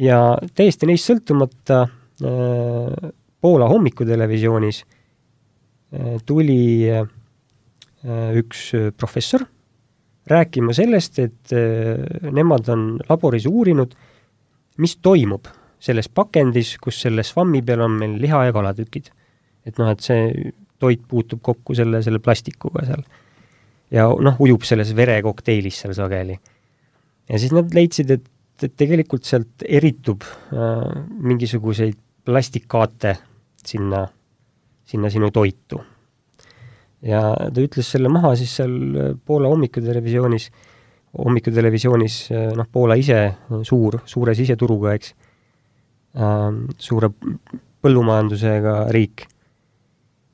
Ja täiesti neist sõltumata Poola hommikutelevisioonis tuli üks professor rääkima sellest, et nemad on laboris uurinud, mis toimub selles pakendis, kus selle svammi peal on meil liha- ja kalatükid. Et et see toit puutub kokku selle plastikuga seal. Ja ujub selles verekokteilis seal sageli. Ja siis nad leidsid, et tegelikult sealt eritub mingisuguseid plastikkaate sinna sinu toitu. Ja ta ütles selle maha siis seal Poola hommikutelevisioonis, Poola ise suure siseturuga, eks, suure põllumajandusega riik.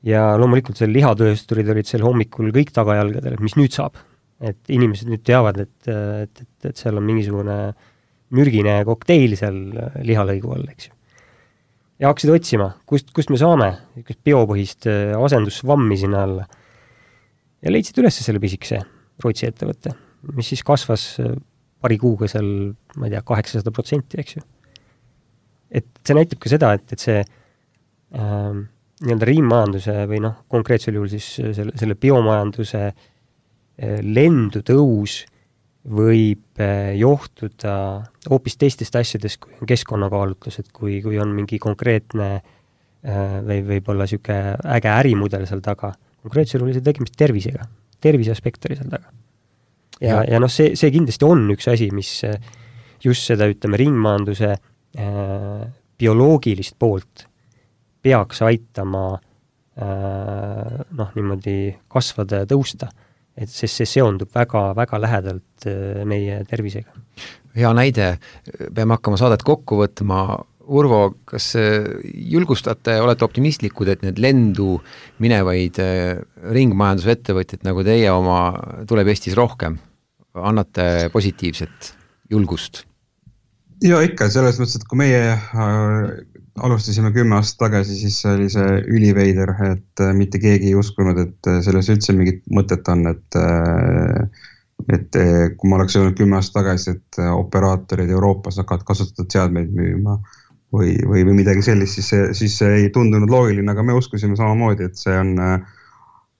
Ja loomulikult seal lihatöösturid olid seal hommikul kõik tagajalgadel, et mis nüüd saab. Et inimesed nüüd teavad, et seal on mingisugune mürgine kokteil seal lihalõigu all, eks ju. Ja hakkasid otsima, kust me saame biopõhist asendussvammi sinna alla. Ja leidsid üles selle pisikese Rootsi ettevõtte, mis siis kasvas paari kuuga seal, ma ei tea, 800%, eks ju. Et see näitab ka seda, et see nii-öelda ringmajanduse või konkreetsel juhul siis selle biomajanduse lendu tõus võib johtuda hoopis teistest asjadest, kui on keskkonnakaalutlused, kui on mingi konkreetne või võib-olla siuke äge ärimudel seal taga. Konkreetsel oli see tegemist tervisega, tervise aspekt oli seal taga. Ja see kindlasti on üks asi, mis just seda, ütleme, ringmajanduse bioloogilist poolt peaks aitama niimoodi kasvada ja tõusta, et sest see seondub väga-väga lähedalt meie tervisega. Hea näide, peame hakkama saadet kokku võtma. Urvo, kas julgustate, olete optimistlikud, et need lendu minevaid ringmajandusettevõtjad nagu teie oma tuleb Eestis rohkem? Annate positiivset julgust? Ja ikka, selles mõttes, et kui meie alustasime 10 aastat tagasi, siis oli see üliveider, et mitte keegi ei uskunud, et selles üldse mingit mõtet on, et kui ma oleks öelnud 10 aastat tagasi, et operaatorid Euroopas hakkavad kasutatud seadmeid müüma või midagi sellist, siis see ei tundunud loogiline, aga me uskusime samamoodi, et see on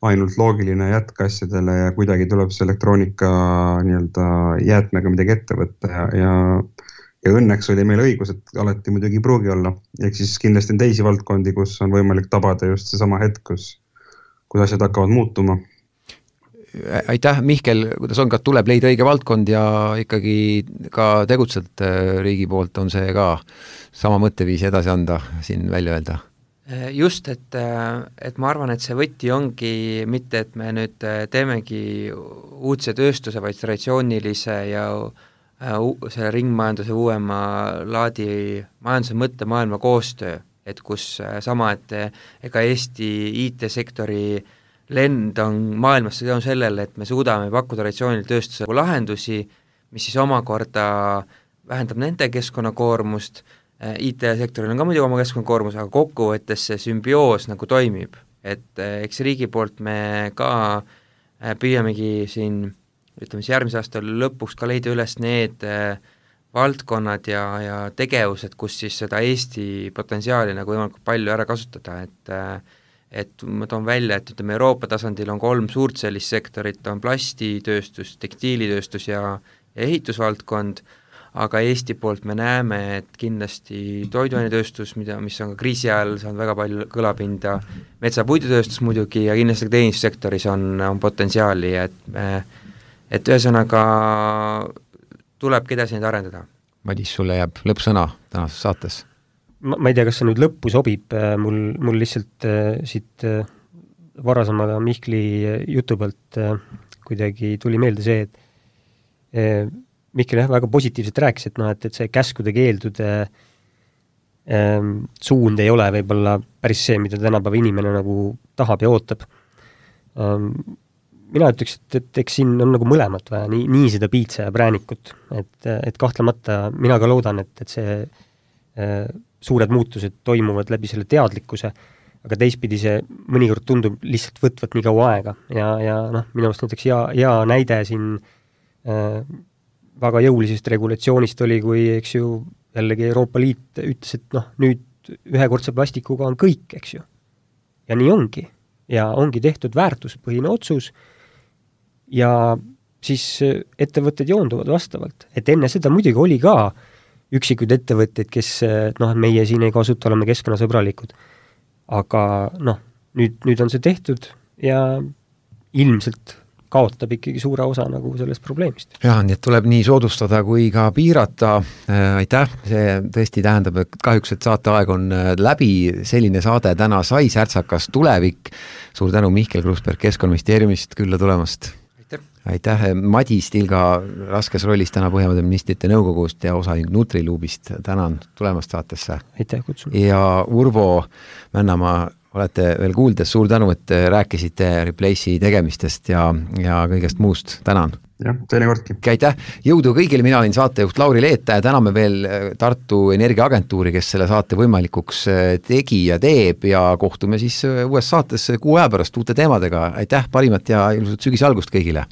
ainult loogiline jätk asjadele ja kuidagi tuleb see elektroonika nii-öelda jäätmega midagi ette võtta ja õnneks oli meil õigus, et alati muidugi ei pruugi olla. Ehk siis kindlasti on teisi valdkondi, kus on võimalik tabada just see sama hetk, kus asjad hakkavad muutuma. Aitäh, Mihkel, kuidas on, kas tuleb leida õige valdkond ja ikkagi ka tegutsed riigi poolt, on see ka sama mõtteviisi edasi anda siin välja öelda? Just, et ma arvan, et see võti ongi mitte, et me nüüd teemegi uudse tööstuse, vaid traditsioonilise ja selle ringmajanduse uuema laadi majanduse mõttemaailma koostöö, et kus sama, et ega Eesti IT-sektori lend on maailmas on sellele, et me suudame pakkuda traditsioonil tööstuse lahendusi, mis siis omakorda vähendab nende keskkonnakoormust, IT-sektoril on ka muidugi oma keskkonnakoormus, aga kokkuvõttes see sümbioos nagu toimib, et eks riigi poolt me ka püüamegi siin ütleme siis järgmise aasta lõpuks ka leida üles need valdkonnad ja tegevused, kus siis seda Eesti potentsiaali nagu võimalikult palju ära kasutada, et ma toon välja, et ütleme Euroopa tasandil on 3 suurt sellist sektorit, on plastitööstus, tekstiilitööstus ja ehitusvaldkond, aga Eesti poolt me näeme, et kindlasti toiduainetööstus, mis on ka kriisi ajal saanud väga palju kõlapinda, metsapuidutööstus muidugi ja kindlasti teenistussektoris on potentsiaali, et ühesõnaga tulebki edasi neid arendada. Madis, sulle jääb lõppsõna tänases saates. Ma ei tea, kas see nüüd lõppu sobib, mul lihtsalt siit varasemale Mihkli jutu pealt kuidagi tuli meelde see, et Mihkel väga positiivselt rääkis, et see käskude keeldude suund ei ole võib-olla päris see, mida tänapäeva inimene nagu tahab ja ootab. Mina ütleks, et eks siin on nagu mõlemat vaja, nii seda piitsa ja präänikut, et kahtlemata mina ka loodan, et see suured muutused toimuvad läbi selle teadlikkuse, aga teistpidi see mõnikord tundub lihtsalt võtvat nii kaua aega ja minu arust näiteks hea näide siin väga jõulisest regulatsioonist oli, kui eks ju jällegi Euroopa Liit ütles, et nüüd ühekordse plastikuga on kõik, eks ju. Ja nii ongi. Ja ongi tehtud väärtuspõhine otsus ja siis ettevõtted joonduvad vastavalt. Et enne seda muidugi oli ka üksikuid ettevõtteid, kes meie siin ei kasuta, oleme keskkonnasõbralikud. Aga nüüd on see tehtud ja ilmselt kaotab ikkagi suure osa nagu sellest probleemist. Jah, nii et tuleb nii soodustada kui ka piirata. Aitäh, see tõesti tähendab, et kahjuks, et saateaeg on läbi. Selline saade täna sai Särtsakas tulevik. Suur tänu Mihkel Krusberg Keskkonnaministeeriumist külla tulemast. Aitäh, Madis Tilga raskes rollis täna Põhjamaade ministrite nõukogust ja osaühing Nutriluubist. Tänan tulemast saatesse. Aitäh kutsun. Ja Urvo Männamaa, olete veel kuuldes, suur tänu, et rääkisite Replace'i tegemistest ja kõigest muust. Tänan. Jah, teine kordki. Aitäh, jõudu kõigile, mina olin saatejuht Lauri Leeta ja täname veel Tartu Energiaagentuuri, kes selle saate võimalikuks tegi ja teeb ja kohtume siis uues saates kuu aja pärast uute teemadega. Aitäh, parimat ja ilusat sügise algust kõigile!